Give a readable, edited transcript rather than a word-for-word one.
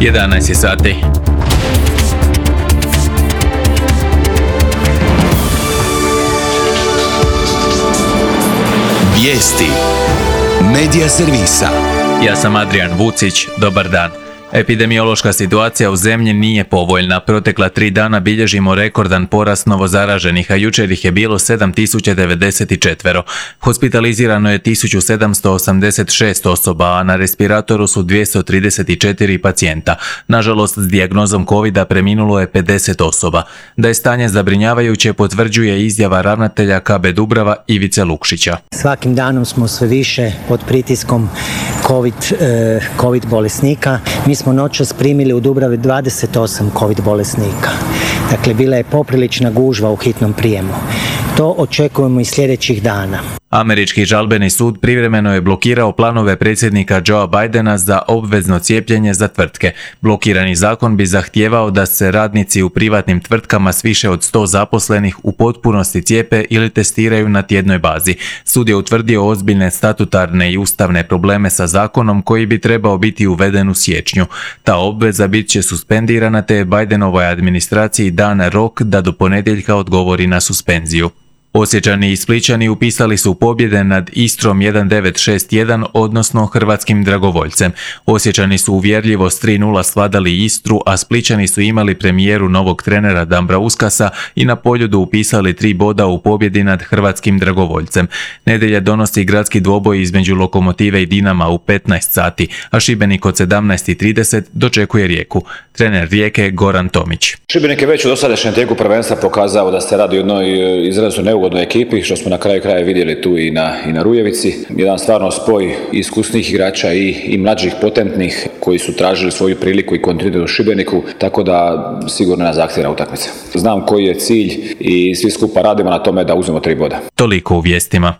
11 sati. Vijesti Medija servisa. Ja sam Adrian Vucić, dobar dan. Epidemiološka situacija u zemlji nije povoljna. Protekla 3 dana bilježimo rekordan porast novozaraženih, a jučer ih je bilo 7094. Hospitalizirano je 1786 osoba, a na respiratoru su 234 pacijenta. Nažalost, s dijagnozom covida preminulo je 50 osoba. Da je stanje zabrinjavajuće potvrđuje izjava ravnatelja KB Dubrava Ivice Lukšića. Svakim danom smo sve više pod pritiskom COVID bolesnika. Mi smo noćas primili u Dubravi 28 COVID bolesnika. Dakle, bila je poprilična gužva u hitnom prijemu. To očekujemo i sljedećih dana. Američki žalbeni sud privremeno je blokirao planove predsjednika Joea Bidena za obvezno cijepljenje za tvrtke. Blokirani zakon bi zahtijevao da se radnici u privatnim tvrtkama s više od 100 zaposlenih u potpunosti cijepe ili testiraju na tjednoj bazi. Sud je utvrdio ozbiljne statutarne i ustavne probleme sa zakonom koji bi trebao biti uveden u siječnju. Ta obveza bit će suspendirana, te je Bidenovoj administraciji dan rok da do ponedjeljka odgovori na suspenziju. Osječani i Splićani upisali su pobjede nad Istrom 1961, odnosno Hrvatskim dragovoljcem. Osječani su uvjerljivo s 3:0 svladali Istru, a Splićani su imali premijeru novog trenera Dambra Uskasa i na Poljudu upisali 3 boda u pobjedi nad Hrvatskim dragovoljcem. Nedjelja donosi gradski dvoboj između Lokomotive i Dinama u 15 sati, a Šibenik od 17:30 dočekuje Rijeku. Trener Rijeke Goran Tomić. Šibenik je već u dosadašnjem tijeku prvenstva pokazao da se radi o jednoj izrazito neugodnoj ekipi, što smo na kraju kraja vidjeli tu i na Rujevici. Jedan stvarno spoj iskusnih igrača i mlađih potentnih koji su tražili svoju priliku i kontinuitet u Šibeniku, tako da sigurno nas zahtjeva utakmica. Znam koji je cilj i svi skupa radimo na tome da uzmemo 3 boda. Toliko u vijestima.